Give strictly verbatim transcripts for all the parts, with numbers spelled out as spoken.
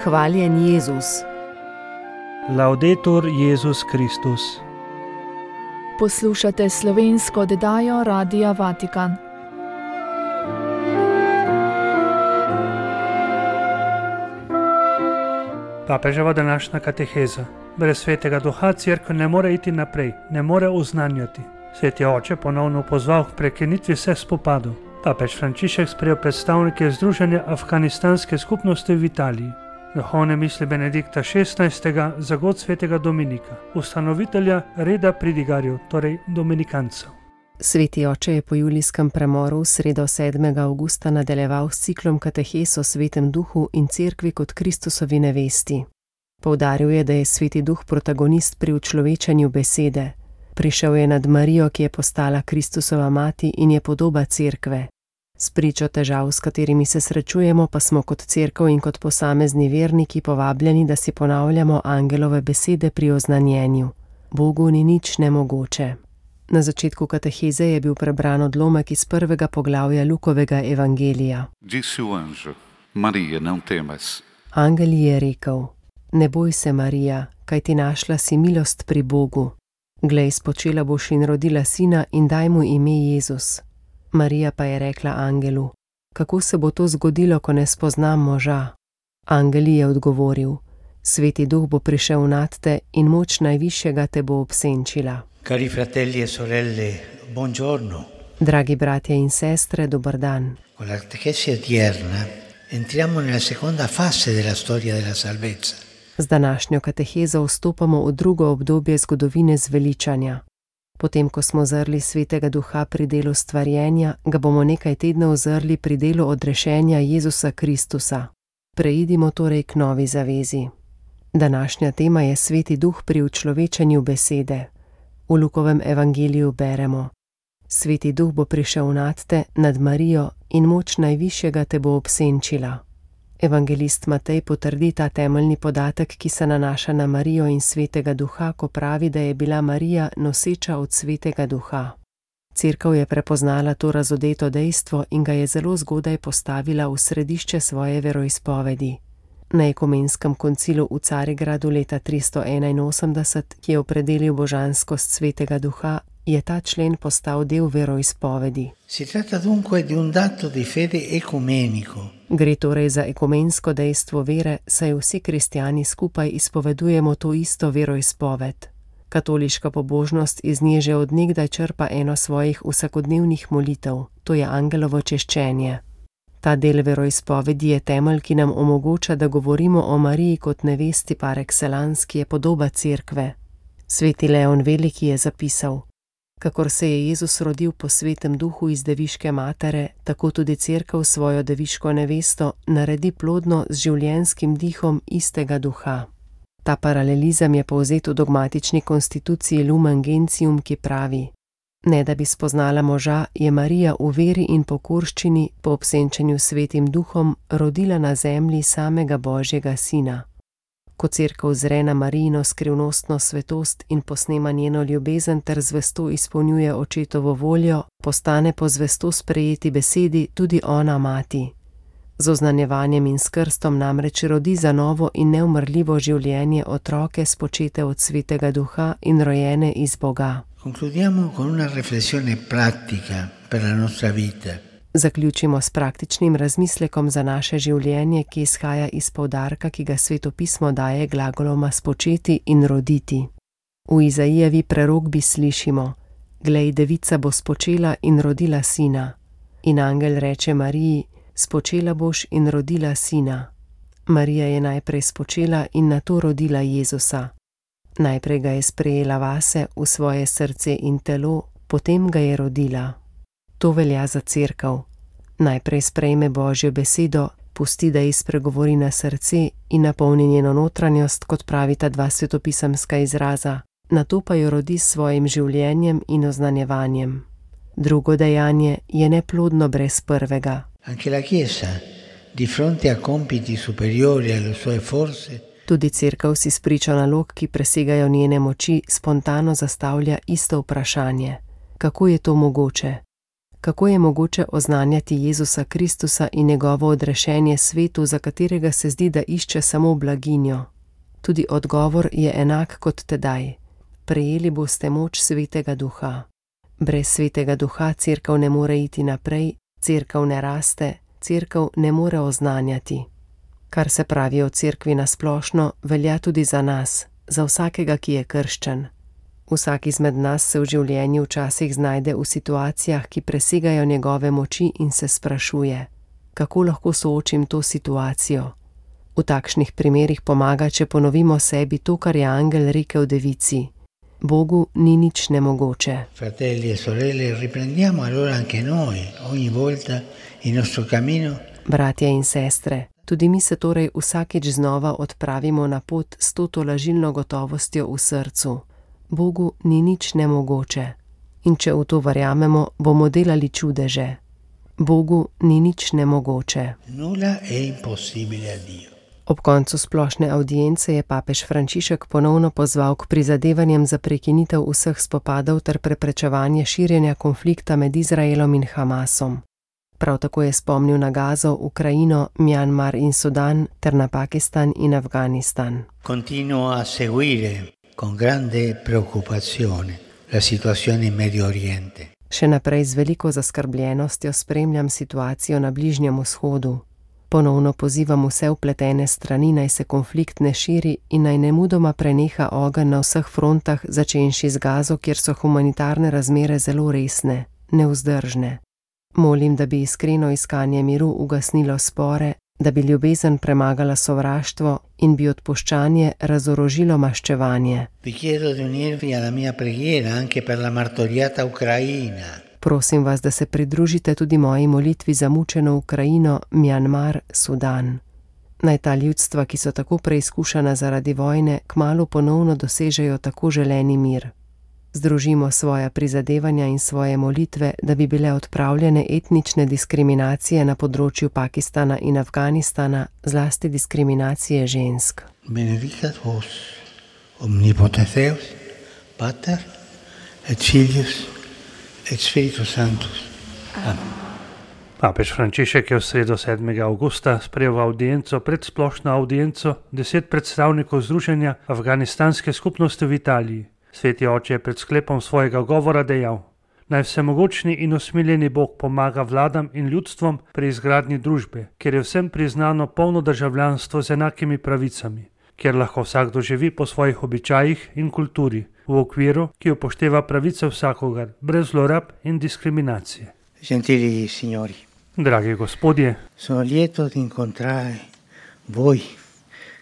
Hvaljen Jezus. Laudetur Jezus Kristus. Poslušate slovensko oddajo Radia Vatikan. Papeževa današnja kateheza. Brez svetega duha cerkev ne more iti naprej, ne more oznanjati. Sveti oče ponovno pozval k prekinitvi vseh spopadov. Papež Frančišek sprejel predstavnike Združenja afganistanske skupnosti v Italiji. Duhovne misli Benedikta šestnajstega za god svetega Dominika, ustanovitelja reda pridigarjev, torej dominikancev. Sveti oče je po julijskem premoru v sredo sedmega avgusta nadaljeval s ciklom katehes o svetem duhu in cerkvi kot Kristusovi nevesti. Poudaril je, da je sveti duh protagonist pri učlovečanju besede. Prišel je nad Marijo, ki je postala Kristusova mati in je podoba cerkve. S pričo težav, s katerimi se srečujemo, pa smo kot cerkev in kot posamezni verniki povabljeni, da si ponavljamo angelove besede pri oznanjenju. Bogu ni nič nemogoče. Na začetku kateheze je bil prebran odlomek iz prvega poglavja Lukovega evangelija. Disse o anjo: Maria, não temas. Angel ji je rekel: Ne boj se, Marija, kajti našla si milost pri Bogu. Glej, spočela boš in rodila sina in daj mu ime Jezus. Marija pa je rekla angelu: Kako se bo to zgodilo, ko ne spoznam moža? Angel je odgovoril: Sveti duh bo prišel nad te in moč najvišjega te bo obsenčila. Cari fratelli e sorelle, buongiorno. Dragi bratje in sestre, dober dan. Con la catechesi odierna entriamo nella seconda fase della storia della salvezza. Z današnjo katehezo vstopamo v drugo obdobje zgodovine zveličanja. Potem, ko smo zrli svetega duha pri delu stvarjenja, ga bomo nekaj tednov zrli pri delu odrešenja Jezusa Kristusa. Preidimo torej k novi zavezi. Današnja tema je sveti duh pri učlovečanju besede. V Lukovem evangeliju beremo: Sveti duh bo prišel nad te, nad Marijo, in moč najvišjega te bo obsenčila. Evangelist Matej potrdi ta temeljni podatek, ki se nanaša na Marijo in svetega duha, ko pravi, da je bila Marija noseča od svetega duha. Cerkev je prepoznala to razodeto dejstvo in ga je zelo zgodaj postavila v središče svoje veroizpovedi. Na ekumenskem koncilu v Carigradu leta tristo enainosemdeset, ki je opredelil božanskost svetega duha, je ta člen postal del veroizpovedi. Si tratta dunque di un dato di fede ecumenico. Gre torej za ekumensko dejstvo vere, saj vsi kristjani skupaj izpovedujemo to isto veroizpoved. Katoliška pobožnost iz nje že od nekdaj črpa eno svojih vsakodnevnih molitev, to je angelovo češčenje. Ta del veroizpovedi je temelj, ki nam omogoča, da govorimo o Mariji kot nevesti par excellence, ki je podoba cerkve. Sveti Leon Veliki je zapisal: Kakor se je Jezus rodil po svetem duhu iz deviške matere, tako tudi cerkev svojo deviško nevesto naredi plodno z življenjskim dihom istega duha. Ta paralelizem je povzet v dogmatični konstituciji Lumen Gentium, ki pravi: Ne da bi spoznala moža, je Marija v veri in pokorščini po obsenčenju svetim duhom rodila na zemlji samega Božjega sina. Ko cerkev zre na Marijino skrivnostno svetost in posnema njeno ljubezen ter zvesto izpolnjuje očetovo voljo, postane po zvesto sprejeti besedi tudi ona mati. Z oznanjevanjem in s krstom namreč rodi za novo in neumrljivo življenje otroke spočete od svetega duha in rojene iz Boga. Concludiamo con una riflessione pratica per la nostra vita. Zaključimo s praktičnim razmislekom za naše življenje, ki izhaja iz poudarka, ki ga Sveto pismo daje glagoloma spočeti in roditi. V Izaijevi prerokbi slišimo: Glej, devica bo spočela in rodila sina. In angel reče Mariji: Spočela boš in rodila sina. Marija je najprej spočela in nato rodila Jezusa. Najprej ga je sprejela vase, v svoje srce in telo, potem ga je rodila. To velja za cerkev. Najprej sprejme Božjo besedo, pusti, da ji spregovori na srce in napolni njeno notranjost, kot pravita dva svetopisemska izraza, nato pa jo rodi s svojim življenjem in oznanjevanjem. Drugo dejanje je neplodno brez prvega. Anche la Chiesa, di fronte a compiti superiori alle sue forze, Tudi cerkev si spričo nalog, ki presegajo njene moči, spontano zastavlja isto vprašanje: Kako je to mogoče? Kako je mogoče oznanjati Jezusa Kristusa in njegovo odrešenje svetu, za katerega se zdi, da išče samo blaginjo? Tudi odgovor je enak kot tedaj. Prejeli boste moč Svetega Duha. Brez Svetega Duha cerkev ne more iti naprej, cerkev ne raste, cerkev ne more oznanjati. Kar se pravi o cerkvi nasplošno, velja tudi za nas, za vsakega, ki je krščen. Vsak izmed nas se v življenju včasih znajde v situacijah, ki presegajo njegove moči in se sprašuje, kako lahko soočim to situacijo. V takšnih primerih pomaga, če ponovimo sebi to, kar je angel rekel devici. Bogu ni nič nemogoče. Fratelli e sorelle, riprendiamo allora anche noi, ogni volta il nostro cammino. Bratje in sestre, tudi mi se torej vsakič znova odpravimo na pot s to tolažilno gotovostjo v srcu. Bogu ni nič nemogoče. In če v to verjamemo, bomo delali čudeže. Bogu ni nič nemogoče. Nulla è impossibile a Dio. Ob koncu splošne avdience je papež Frančišek ponovno pozval k prizadevanjem za prekinitev vseh spopadov ter preprečevanje širjenja konflikta med Izraelom in Hamasom. Prav tako je spomnil na Gazo, Ukrajino, Mjanmar in Sudan ter na Pakistan in Afganistan. Continuo a seguire con grande preoccupazione la situazione in Medio Oriente. Še naprej z veliko zaskrbljenostjo spremljam situacijo na Bližnjem vzhodu. Ponovno pozivam vse vpletene strani, naj se konflikt ne širi in naj nemudoma preneha ogenj na vseh frontah, začenši z Gazo, kjer so humanitarne razmere zelo resne, nevzdržne. Molim, da bi iskreno iskanje miru ugasnilo spore, da bi ljubezen premagala sovraštvo in bi odpuščanje razorožilo maščevanje. Vi chiedo di unirvi alla mia preghiera anche per la martoriata Ucraina. Prosim vas, da se pridružite tudi moji molitvi za mučeno Ukrajino, Mjanmar, Sudan. Naj ta ljudstva, ki so tako preizkušana zaradi vojne, kmalu ponovno dosežejo tako želeni mir. Združimo svoja prizadevanja in svoje molitve, da bi bile odpravljene etnične diskriminacije na področju Pakistana in Afganistana, zlasti diskriminacije žensk. Benedicat vos, omnipotens Deus, Pater et Filius et Spiritus Sanctus. Amen. Papež Frančišek je v sredo sedmega avgusta sprejel v avdienco pred splošno avdienco deset predstavnikov Združenja afganistanske skupnosti v Italiji. Sveti oče je pred sklepom svojega govora dejal: Naj vsemogočni in usmiljeni Bog pomaga vladam in ljudstvom pri izgradnji družbe, kjer je vsem priznano polno državljanstvo z enakimi pravicami, kjer lahko vsakdo živi po svojih običajih in kulturi, v okviru, ki upošteva pravice vsakogar, brez zlorab in diskriminacije. Gentili signori, Dragi gospodje, sono lieto di incontrare voi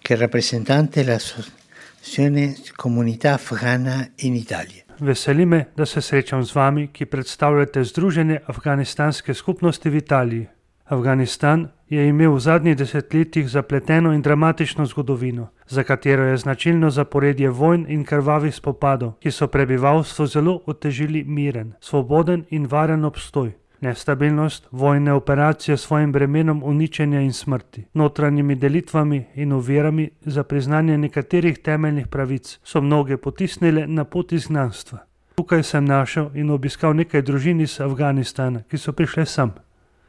che rappresentate la associazione comunità afghana in Italia. veseli me, da se srečam z vami, ki predstavljate Združenje afganistanske skupnosti v Italiji. Afganistan je imel v zadnjih desetletjih zapleteno in dramatično zgodovino, za katero je značilno zaporedje vojn in krvavih spopadov, ki so prebivalstvu zelo otežili miren, svoboden in varen obstoj. Nestabilnost, vojne operacije s svojim bremenom uničenja in smrti, notranjimi delitvami in ovirami za priznanje nekaterih temeljnih pravic so mnoge potisnile na pot izgnanstva. Tukaj sem našel in obiskal nekaj družin iz Afganistana, ki so prišle sem.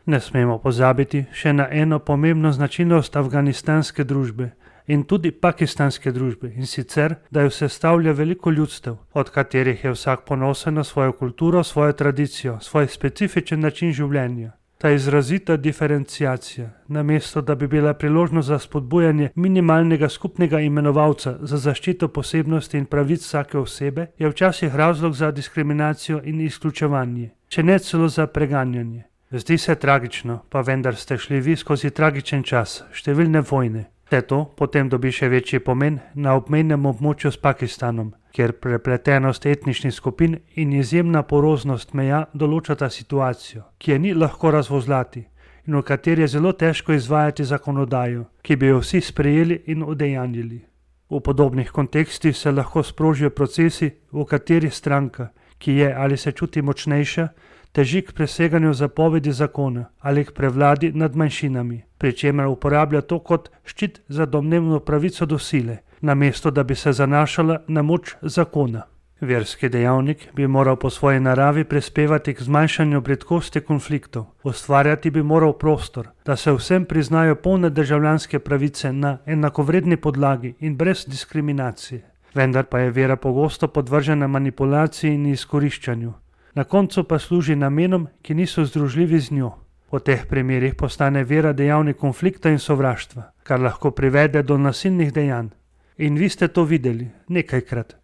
Ne smemo pozabiti še na eno pomembno značilnost afganistanske družbe in tudi pakistanske družbe, in sicer, da jo sestavlja veliko ljudstev, od katerih je vsak ponosen na svojo kulturo, svojo tradicijo, svoj specifičen način življenja. Ta izrazita diferenciacija, namesto da bi bila priložnost za spodbujanje minimalnega skupnega imenovalca za zaščito posebnosti in pravic vsake osebe, je včasih razlog za diskriminacijo in izključevanje, če ne celo za preganjanje. Zdi se tragično, pa vendar ste šli vi skozi tragičen čas, številne vojne. Vse to potem dobi še večji pomen na obmejnem območju s Pakistanom, kjer prepletenost etničnih skupin in izjemna poroznost meja določata situacijo, ki je ni lahko razvozlati in v kateri je zelo težko izvajati zakonodajo, ki bi jo vsi sprejeli in udejanjili. V podobnih kontekstih se lahko sprožijo procesi, v kateri stranka, ki je ali se čuti močnejša, teži k preseganju zapovedi zakona ali k prevladi nad manjšinami, pri čemer uporablja to kot ščit za domnevno pravico do sile, namesto da bi se zanašala na moč zakona. Verski dejavnik bi moral po svoji naravi prispevati k zmanjšanju bridkosti konfliktov, ustvarjati bi moral prostor, da se vsem priznajo polne državljanske pravice na enakovredni podlagi in brez diskriminacije. Vendar pa je vera pogosto podvržena manipulaciji in izkoriščanju. Na koncu pa služi namenom, ki niso združljivi z njo. V teh primerih postane vera dejavnik konflikta in sovraštva, kar lahko privede do nasilnih dejanj. In vi ste to videli nekajkrat.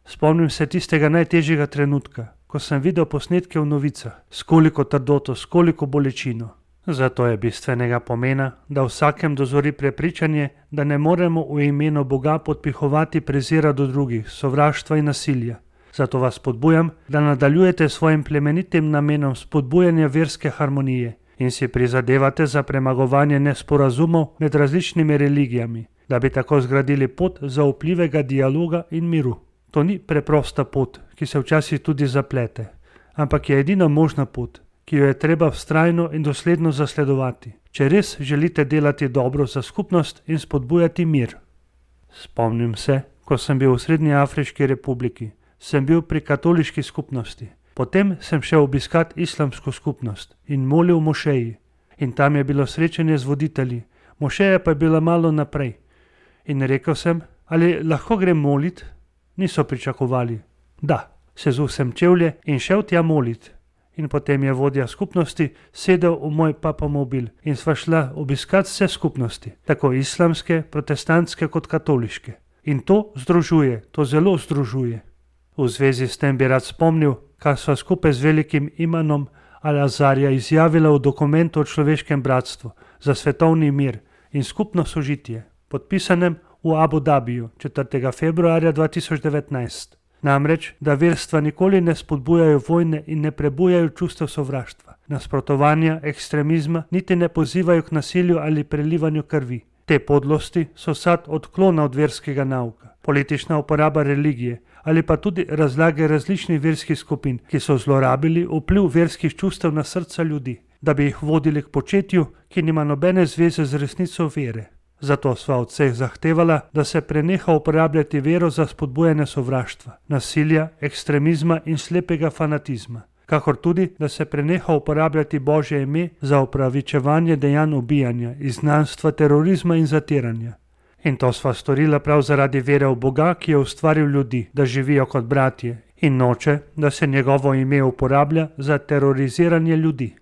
Spomnim se tistega najtežjega trenutka, ko sem videl posnetke v novicah, s koliko trdoto, s koliko bolečino. Zato je bistvenega pomena, da vsakem dozori prepričanje, da ne moremo v imenu Boga podpihovati prezira do drugih, sovraštva in nasilja. Zato vas spodbujam, da nadaljujete svojim plemenitim namenom spodbujanja verske harmonije in si prizadevate za premagovanje nesporazumov med različnimi religijami, da bi tako zgradili pot zaupljivega dialoga in miru. To ni preprosta pot, ki se včasih tudi zaplete, ampak je edina možna pot, ki jo je treba vztrajno in dosledno zasledovati, če res želite delati dobro za skupnost in spodbujati mir. Spomnim se, ko sem bil v Srednji Afriški republiki, sem bil pri katoliški skupnosti. Potem sem šel obiskat islamsko skupnost in molil v mošeji. In tam je bilo srečanje z voditelji, mošeja pa je bila malo naprej. In rekel sem, ali lahko grem molit? Niso pričakovali. Da, sezul sem čevlje in šel tja molit. In potem je vodja skupnosti sedel v moj papamobil in sva šla obiskat vse skupnosti, tako islamske, protestantske kot katoliške. In to združuje, to zelo združuje. V zvezi s tem bi rad spomnil, kar sva skupaj z velikim imanom Al-Azarja izjavila v dokumentu o človeškem bratstvu za svetovni mir in skupno sožitje, podpisanem v Abu Dabiju četrtega februarja dva tisoč devetnajst. Namreč, da verstva nikoli ne spodbujajo vojne in ne prebujajo čustev sovraštva, nasprotovanja, ekstremizma, niti ne pozivajo k nasilju ali prelivanju krvi. Te podlosti so sad odklona od verskega nauka, politična uporaba religije ali pa tudi razlage različnih verskih skupin, ki so zlorabili vpliv verskih čustev na srca ljudi, da bi jih vodili k početju, ki nima nobene zveze z resnico vere. Zato sva od vseh zahtevala, da se preneha uporabljati vero za spodbujanje sovraštva, nasilja, ekstremizma in slepega fanatizma, kakor tudi, da se preneha uporabljati Božje ime za opravičevanje dejanj ubijanja, izgnanstva, terorizma in zatiranja. In to sva storila prav zaradi vere v Boga, ki je ustvaril ljudi, da živijo kot bratje, in noče, da se njegovo ime uporablja za teroriziranje ljudi.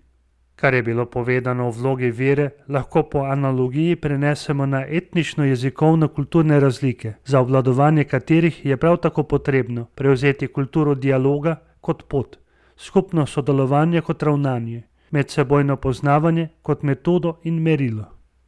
Kar je bilo povedano o vlogi vere, lahko po analogiji prenesemo na etnično-jezikovno-kulturne razlike, za obvladovanje katerih je prav tako potrebno prevzeti kulturo dialoga kot pot, skupno sodelovanje kot ravnanje, medsebojno poznavanje kot metodo in merilo.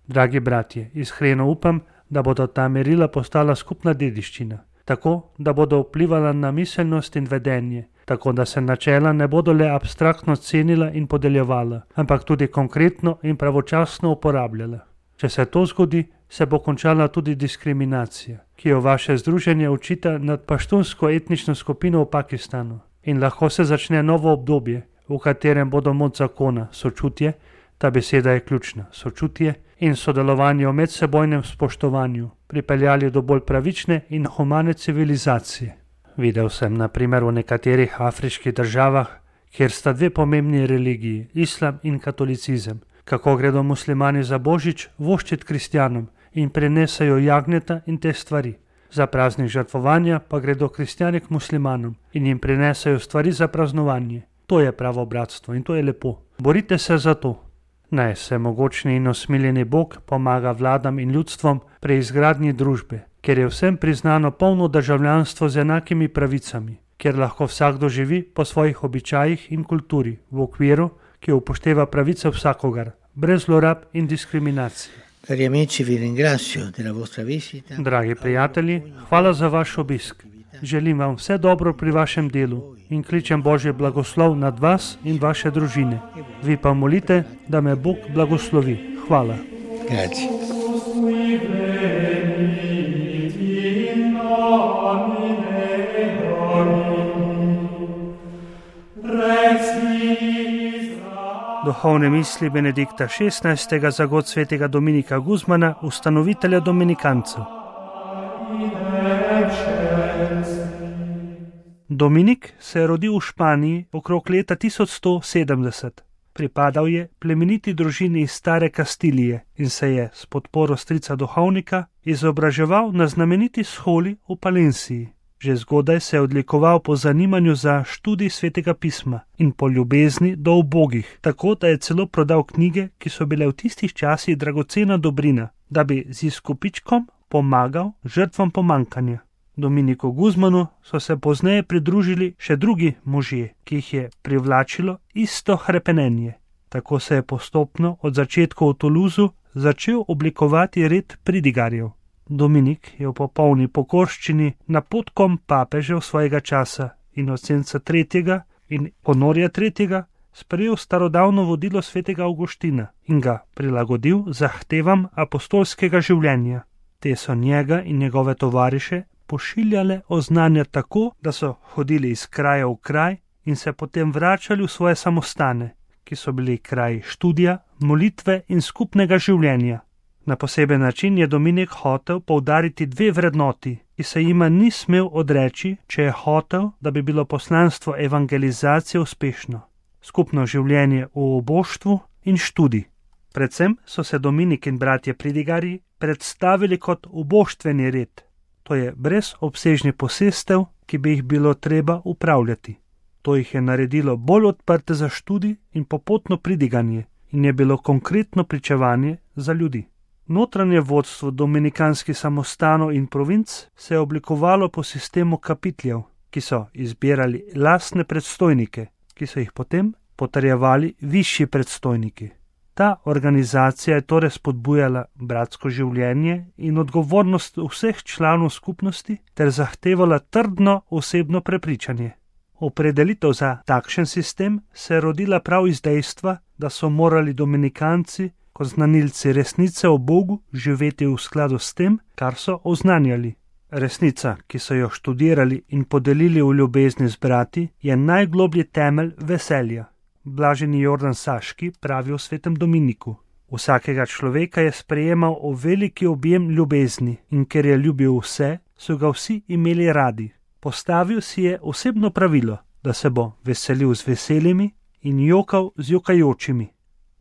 Dragi bratje, iskreno upam, da bodo ta merila postala skupna dediščina, tako da bodo vplivala na miselnost in vedenje, tako da se načela ne bodo le abstraktno cenila in podeljevala, ampak tudi konkretno in pravočasno uporabljala. Če se to zgodi, se bo končala tudi diskriminacija, ki jo vaše združenje očita nad paštunsko etnično skupino v Pakistanu. In lahko se začne novo obdobje, v katerem bodo moč zakona, sočutje, ta beseda je ključna, sočutje, in sodelovanje v medsebojnem spoštovanju pripeljali do bolj pravične in humane civilizacije. Videl sem na primer v nekaterih afriških državah, kjer sta dve pomembni religiji, islam in katolicizem, kako gredo muslimani za božič voščit kristjanom in prenesajo jagnjeta in te stvari. Za praznik žrtvovanja pa gredo kristjani k muslimanom in jim prenesajo stvari za praznovanje. To je pravo bratstvo in to je lepo. Borite se za to. Naj se mogočni in osmiljeni Bog pomaga vladam in ljudstvom pri izgradnji družbe, kjer je vsem priznano polno državljanstvo z enakimi pravicami, kjer lahko vsakdo živi po svojih običajih in kulturi, v okviru, ki upošteva pravice vsakogar, brez zlorab in diskriminacije. Cari amici, vi ringrazio della vostra visita. Dragi prijatelji, hvala za vaš obisk. Želim vam vse dobro pri vašem delu in kličem Božji blagoslov nad vas in vaše družine. Vi pa molite, da me Bog blagoslovi. Hvala. Grazie. Duhovne misli Benedikta šestnajstega za god svetega Dominika Guzmana, ustanovitelja dominikancev. Dominik se je rodil v Španiji okrog leta tisoč sto sedemdeset. Pripadal je plemeniti družini iz stare Kastilije in se je s podporo strica duhovnika izobraževal na znameniti sholi v Palenciji. Že zgodaj se je odlikoval po zanimanju za študij svetega pisma in po ljubezni do ubogih, tako da je celo prodal knjige, ki so bile v tistih časih dragocena dobrina, da bi z izkupičkom pomagal žrtvam pomankanja. Dominiku Guzmanu so se pozneje pridružili še drugi možje, ki jih je privlačilo isto hrepenenje. Tako se je postopno od začetka v Toulouseu začel oblikovati red pridigarjev. Dominik je v popolni pokorščini napotkom papežev svojega časa Inocenca tretjega in Honorja tretjega sprejel starodavno vodilo svetega Avguština in ga prilagodil zahtevam apostolskega življenja. Te so njega in njegove tovariše pošiljale oznanja tako, da so hodili iz kraja v kraj in se potem vračali v svoje samostane, ki so bili kraji študija, molitve in skupnega življenja. Na poseben način je Dominik hotel poudariti dve vrednoti, ki se jima ni smel odreči, če je hotel, da bi bilo poslanstvo evangelizacije uspešno. Skupno življenje v oboštvu in študij. Predvsem so se Dominik in bratje pridigarji predstavili kot oboštveni red. To je brez obsežnih posestev, ki bi jih bilo treba upravljati. To jih je naredilo bolj odprte za študij in popotno pridiganje in je bilo konkretno pričevanje za ljudi. Notranje vodstvo dominikanskih samostanov in provinc se je oblikovalo po sistemu kapitljev, ki so izbirali lastne predstojnike, ki so jih potem potrjevali višji predstojniki. Ta organizacija je torej spodbujala bratsko življenje in odgovornost vseh članov skupnosti ter zahtevala trdno osebno prepričanje. Opredelitev za takšen sistem se je rodila prav iz dejstva, da so morali dominikanci kot znanilci resnice o Bogu živeti v skladu s tem, kar so oznanjali. Resnica, ki so jo študirali in podelili v ljubezni z brati, je najgloblji temelj veselja. Blaženi Jordan Saški pravi o svetem Dominiku. Vsakega človeka je sprejemal v veliki objem ljubezni in ker je ljubil vse, so ga vsi imeli radi. Postavil si je osebno pravilo, da se bo veselil z veselimi in jokal z jokajočimi.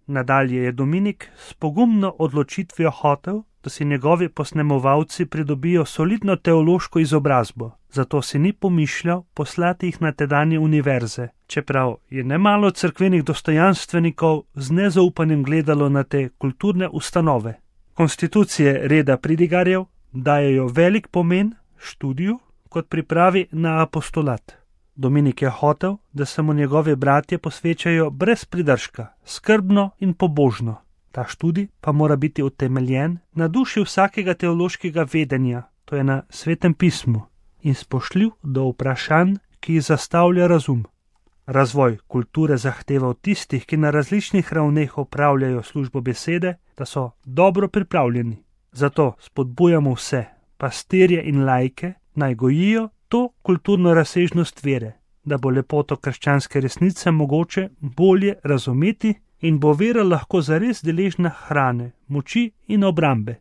Nadalje je Dominik s pogumno odločitvijo hotel, da si njegovi posnemovalci pridobijo solidno teološko izobrazbo, zato si ni pomišljal poslati jih na tedanje univerze, čeprav je nemalo cerkvenih dostojanstvenikov z nezaupanjem gledalo na te kulturne ustanove. Konstitucije reda pridigarjev dajejo velik pomen študiju kot pripravi na apostolat. Dominik je hotel, da se mu njegovi bratje posvečajo brez pridržka, skrbno in pobožno. Ta študij pa mora biti utemeljen na duši vsakega teološkega vedenja, to je na svetem pismu, in spoštljiv do vprašanj, ki jih zastavlja razum. Razvoj kulture zahteva od tistih, ki na različnih ravneh opravljajo službo besede, da so dobro pripravljeni. Zato spodbujamo vse, pastirje in laike, naj gojijo to kulturno razsežnost vere, da bo lepoto krščanske resnice mogoče bolje razumeti in bo vera lahko zares deležna hrane, moči in obrambe.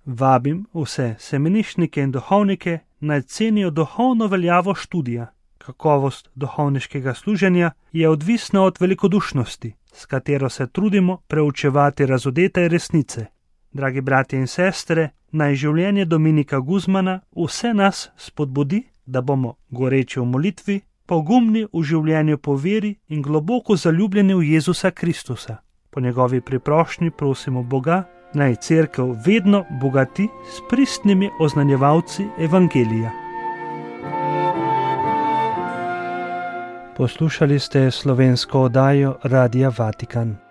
Vabim vse semenišnike in duhovnike, naj cenijo duhovno veljavo študija. Kakovost duhovniškega služenja je odvisna od velikodušnosti, s katero se trudimo preučevati razodete resnice. Dragi bratje in sestre, naj življenje Dominika Guzmana vse nas spodbudi, da bomo goreči v molitvi, pogumni v življenju po veri in globoko zaljubljeni v Jezusa Kristusa. Po njegovi priprošnji prosimo Boga, naj cerkev vedno bogati s pristnimi oznanjevalci evangelija. Poslušali ste slovensko oddajo Radia Vatikan.